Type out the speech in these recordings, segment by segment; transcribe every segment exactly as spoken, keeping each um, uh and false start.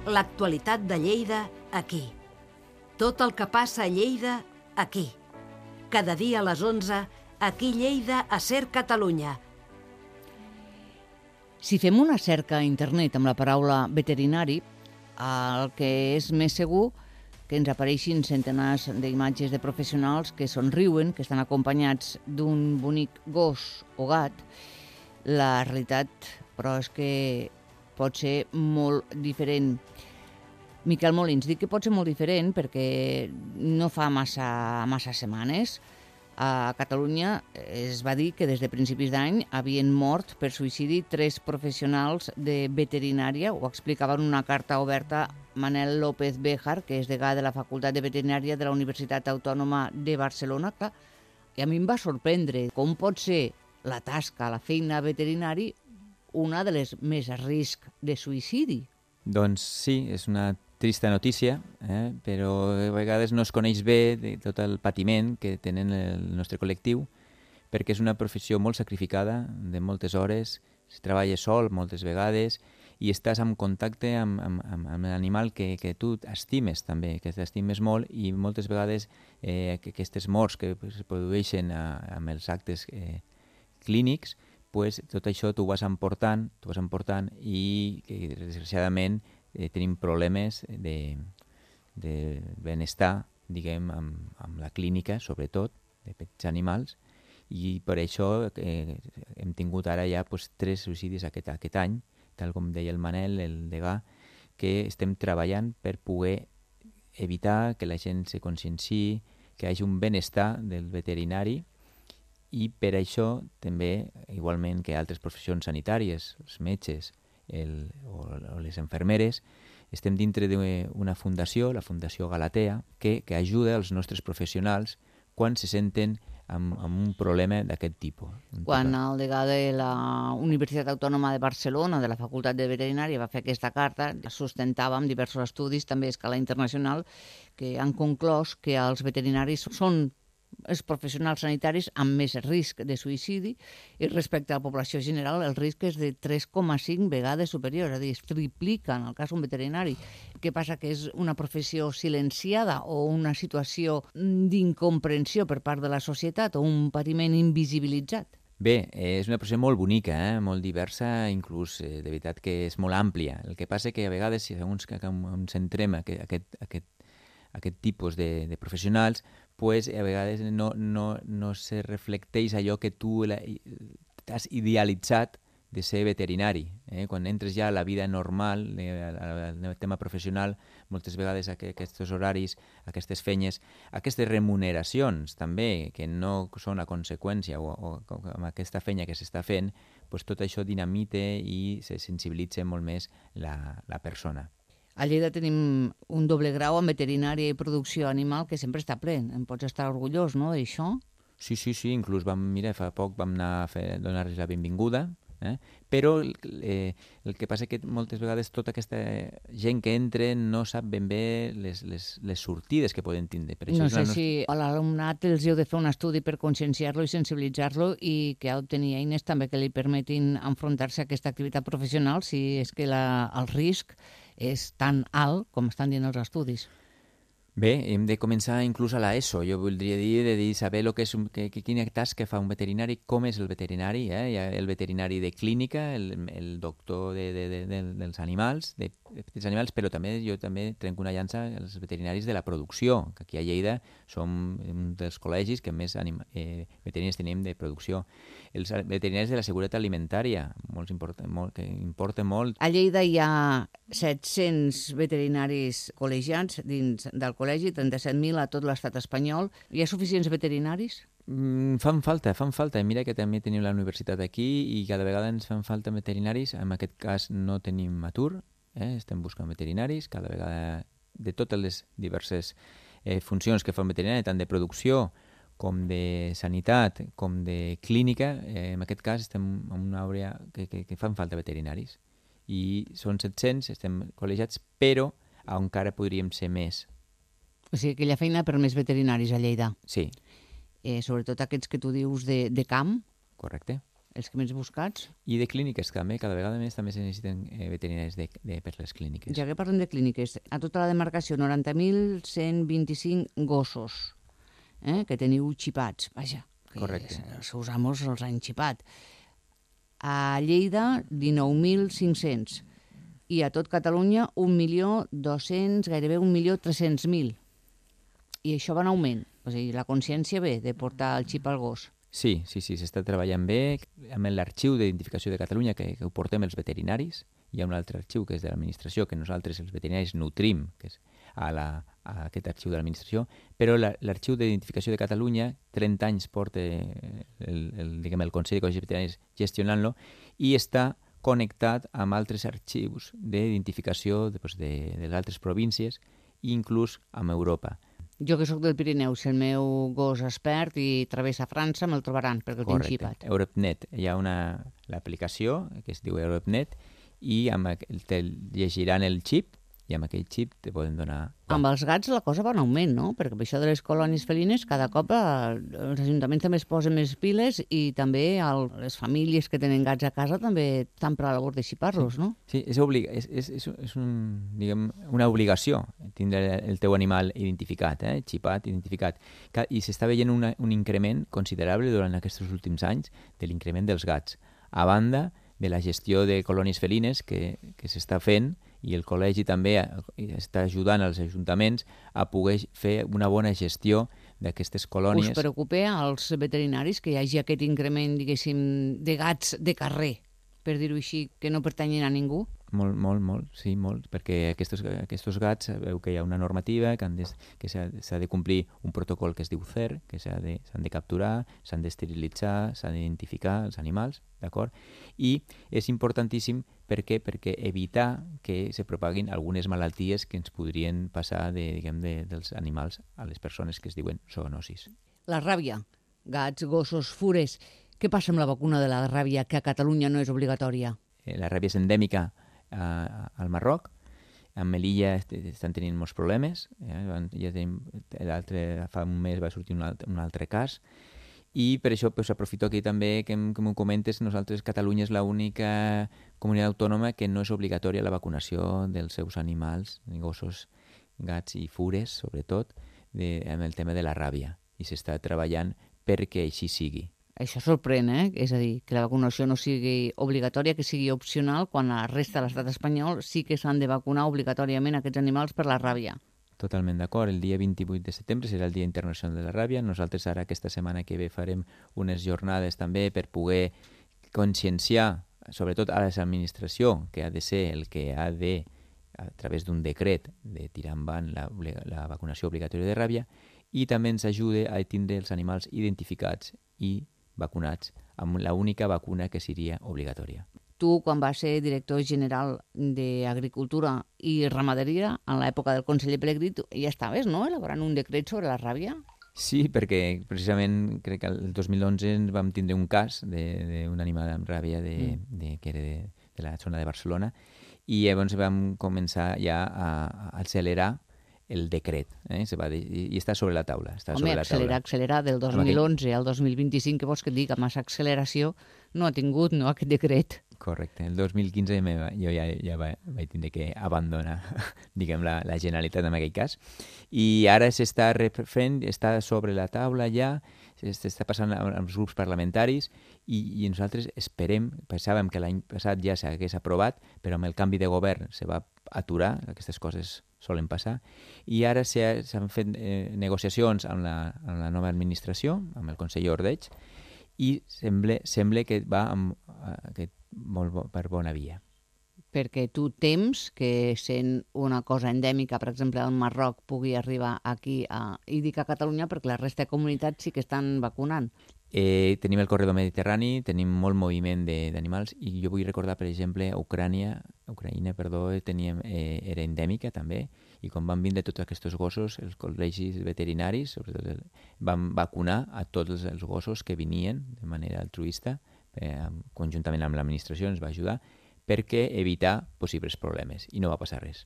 l'actualitat de Lleida aquí. Tot el que passa a Lleida aquí. Cada dia a les onze, aquí Lleida a Ser Catalunya. Si fem una cerca a internet amb la paraula veterinari, el que és més segur que ens apareixin centenars d'imatges de professionals que somriuen, que estan acompanyats d'un bonic gos o gat. La realitat, però, és que pot ser molt diferent. Miquel Molins, dic que pot ser molt diferent perquè no fa massa, massa setmanes a Catalunya es va dir que des de principis d'any havien mort per suïcidi tres professionals de veterinària. Ho explicava en una carta oberta Manel López Béjar, que és degà de la Facultat de Veterinària de la Universitat Autònoma de Barcelona. Clar, i a mi em va sorprendre com pot ser la tasca, la feina veterinari, una de les més a risc de suïcidi. Doncs sí, és una trista notícia, eh? però a vegades no es coneix bé de tot el patiment que tenen el nostre col·lectiu, perquè és una professió molt sacrificada, de moltes hores, es treballa sol moltes vegades i estàs en contacte amb, amb, amb, amb l'animal que, que tu estimes també, que t'estimes molt, i moltes vegades eh, que aquestes morts que es produeixen a, amb els actes eh, clínics, pues, tot això t'ho vas emportant, t'ho vas emportant i que, desgraciadament, eh, tenim problemes de, de benestar, diguem, amb, amb la clínica, sobretot, de petits animals, i per això eh, hem tingut ara ja pues, tres suïcidis aquest, aquest any, tal com deia el Manel, el degà, que estem treballant per poder evitar que la gent se conscienciï, que hi hagi un benestar del veterinari, i per això també, igualment que altres professions sanitàries, els metges el, o, o les infermeres, estem dintre d'una fundació, la Fundació Galatea, que, que ajuda els nostres professionals quan se senten amb, amb un problema d'aquest tipus. Quan el degà de la Universitat Autònoma de Barcelona, de la Facultat de Veterinària, va fer aquesta carta, sustentava amb diversos estudis, també a escala internacional, que han conclòs que els veterinaris són els professionals sanitaris amb més risc de suïcidi, i respecte a la població general el risc és de tres coma cinc vegades superior, és a dir, es triplica en el cas d'un veterinari. Què passa? Que és una professió silenciada o una situació d'incomprensió per part de la societat o un patiment invisibilitzat? Bé, és una professió molt bonica, eh? molt diversa, inclús eh, de veritat que és molt àmplia. El que passa que a vegades, segons que ens centrem aquest, aquest, aquest, aquest tipus de, de professionals, pues, a vegades no, no, no se reflecteix allò que tu t'has idealitzat de ser veterinari. Eh? Quan entres ja a la vida normal, al tema professional, moltes vegades aquests horaris, aquestes feines, aquestes remuneracions també, que no són a conseqüència o, o, o amb aquesta feina que s'està fent, pues, tot això dinamite i se sensibilitza molt més la, la persona. A Lleida tenim un doble grau en veterinària i producció animal que sempre està ple. En pots estar orgullós, no, d'això? Sí, sí, sí. Inclús vam, mira, fa poc vam anar a fer, donar-los la benvinguda, eh? Però eh, el que passa que moltes vegades tota aquesta gent que entra no sap ben bé les, les, les sortides que poden tindre. Per això no sé nostra... si a l'alumnat els heu de fer un estudi per conscienciar-lo i sensibilitzar-lo i que ha d'obtenir eines també que li permetin enfrontar-se a aquesta activitat professional si és que la, el risc és tan alt com estan dient els estudis. Bé, hem de començar inclús a l'ESO. Jo voldria dir, de dir saber lo que és un, que, que, quina tasca fa un veterinari, com és el veterinari. Eh? Hi ha el veterinari de clínica, el, el doctor de, de, de, de, dels animals, de, de petits animals, però també jo també trenco una llança als veterinaris de la producció, que aquí a Lleida som un dels col·legis que més anima, eh, veterinaris tenim de producció. Els veterinaris de la seguretat alimentària, molt important, molt, que importa molt. A Lleida hi ha set-cents veterinaris col·legiats dins del col·legi, trenta-set mil a tot l'estat espanyol. Hi ha suficients veterinaris? Mm, fan falta, fan falta. Mira que també tenim la universitat aquí i cada vegada ens fan falta veterinaris. En aquest cas no tenim atur, eh? Estem buscant veterinaris, cada vegada de totes les diverses eh, funcions que fa un veterinari, tant de producció com de sanitat, com de clínica. Eh, en aquest cas estem en una àrea que, que, que fan falta veterinaris. I són set-cents, estem col·legiats, però encara podríem ser més. O sigui que hi ha feina per més veterinaris a Lleida. Sí. Eh, sobretot aquests que tu dius de, de camp. Correcte. els que més buscats. I de clíniques també, cada vegada més també se necessiten eh, veterinaris de, de, per les clíniques. Ja que parlem de clíniques, a tota la demarcació noranta mil cent vint-i-cinc gossos eh, que teniu xipats, vaja, que Correcte. els seus amos els han xipat. A Lleida, dinou mil cinc-cents. I a tot Catalunya, un milió dos-cents, gairebé un milió tres-cents mil. I això va en augment. O sigui, la consciència ve de portar el xip al gos. Sí, sí, sí, s'està treballant bé amb l'arxiu d'identificació de Catalunya, que, que ho portem els veterinaris. Hi ha un altre arxiu que és de l'administració, que nosaltres, els veterinaris, nutrim, que és a, la, a aquest arxiu de l'administració, però l'arxiu d'identificació de Catalunya, trenta anys porta el, el, diguem, el Consell de Col·legis Veterinaris gestionant-lo, i està connectat amb altres arxius d'identificació de, doncs, de, de les altres províncies i inclús amb Europa. Jo que sóc del Pirineu, si el meu gos es perd i travessa França, me'l trobaran, perquè el tinc xipat. EuropeNet. Hi ha una l'aplicació que es diu EuropeNet i amb aquell, te llegiran el xip i amb aquell xip te poden donar... Amb els gats la cosa va en augment, no? Perquè amb això de les colònies felines cada cop eh, els ajuntaments també es posen més piles i també el, les famílies que tenen gats a casa també estan per la labor de xipar-los, sí. no? Sí, és, obliga és, és, és, és un, diguem, una obligació tindre el teu animal identificat, eh? Xipat, identificat. I s'està veient una, un increment considerable durant aquests últims anys de l'increment dels gats. A banda de la gestió de colònies felines que, que s'està fent, i el col·legi també està ajudant els ajuntaments a poder fer una bona gestió d'aquestes colònies. Us preocupa als veterinaris que hi hagi aquest increment, diguéssim, de gats de carrer, per dir-ho així, que no pertanyen a ningú? Molt, molt, molt, sí, molt, perquè aquests, aquests gats, veu que hi ha una normativa, que, han de, que s'ha de complir un protocol que es diu C E R, que s'han de, de capturar, s'han d'esterilitzar, s'han d'identificar els animals, d'acord? I és importantíssim per què? Perquè evitar que se propaguin algunes malalties que ens podrien passar de, diguem, de, dels animals a les persones que es diuen zoonosis. La ràbia, gats, gossos, fures. Què passa amb la vacuna de la ràbia, que a Catalunya no és obligatòria? La ràbia és endèmica Uh, al Marroc. Amb Melilla estan tenint molts problemes. Eh? Ja tenim, l'altre, fa un mes va sortir un altre, un altre cas. I per això pues, aprofito aquí també que, que m'ho comentes. Nosaltres, Catalunya és l'única comunitat autònoma que no és obligatòria la vacunació dels seus animals, gossos, gats i fures, sobretot, de, amb el tema de la ràbia. I s'està treballant perquè així sigui. Això sorprèn, eh? És a dir, que la vacunació no sigui obligatòria, que sigui opcional, quan a la resta de l'estat espanyol sí que s'han de vacunar obligatòriament aquests animals per la ràbia. Totalment d'acord. El dia vint-i-vuit de setembre serà el Dia Internacional de la Ràbia. Nosaltres ara aquesta setmana que ve farem unes jornades també per poder conscienciar, sobretot a l'administració, que ha de ser el que ha de, a través d'un decret, de tirar endavant la, la vacunació obligatòria de ràbia, i també ens ajuda a tindre els animals identificats i vacunats amb l'única vacuna que seria obligatòria. Tu, quan vas ser director general d'Agricultura i Ramaderia, en l'època del conseller Pelegrí, ja estaves, no?, elaborant un decret sobre la ràbia? Sí, perquè precisament crec que el dos mil onze vam tindre un cas d'un animal amb ràbia de, mm. de, que era de, de la zona de Barcelona, i llavors vam començar ja a, a accelerar el decret, eh? Se va dir, i està sobre la taula. Està Home, sobre la accelerar, taula. accelerar, del dos mil onze al dos mil vint-i-cinc, que vols que et dic, amb massa acceleració no ha tingut, no, aquest decret. Correcte. El dos mil quinze jo ja, ja va, vaig tindre que abandonar, diguem, la, la Generalitat en aquell cas. I ara s'està refent, està sobre la taula ja, s'està passant als grups parlamentaris i, i nosaltres esperem, pensàvem que l'any passat ja s'hagués aprovat, però amb el canvi de govern se va aturar, aquestes coses solen passar, i ara s'han fet eh, negociacions amb la, amb la nova administració, amb el conseller Ordeig, i sembla, sembla que va amb, que molt bo, per bona via. Perquè tu tems que sent una cosa endèmica, per exemple, el Marroc pugui arribar aquí, a, i dic a Catalunya perquè la resta de comunitats sí que estan vacunant. Eh, tenim el corredor mediterrani, tenim molt moviment d'animals, i jo vull recordar, per exemple, Ucrània, Ucraïna, perdó, teníem, eh, era endèmica també, i quan van vindre tots aquests gossos, els col·legis veterinaris, sobretot, el, van vacunar a tots els gossos que venien de manera altruista, eh, conjuntament amb l'administració ens va ajudar, perquè evitar possibles problemes, i no va passar res.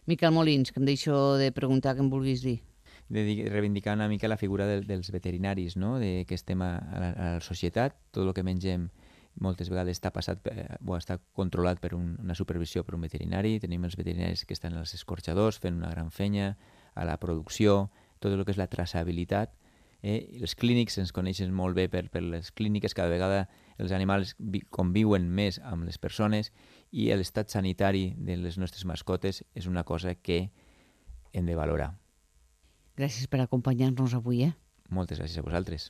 Miquel Molins, que em deixo de preguntar què em vulguis dir. de reivindicar una mica la figura de, dels veterinaris, no? De que estem a, a, la, a la societat, tot el que mengem moltes vegades està passat per, o està controlat per un, una supervisió per un veterinari. Tenim els veterinaris que estan als escorxadors fent una gran fenya, a la producció, tot el que és la traçabilitat. Eh? Els clínics ens coneixen molt bé per, per les clíniques, cada vegada els animals vi, conviuen més amb les persones i l'estat sanitari de les nostres mascotes és una cosa que hem de valorar. Gràcies per acompanyar-nos avui. Eh? Moltes gràcies a vosaltres.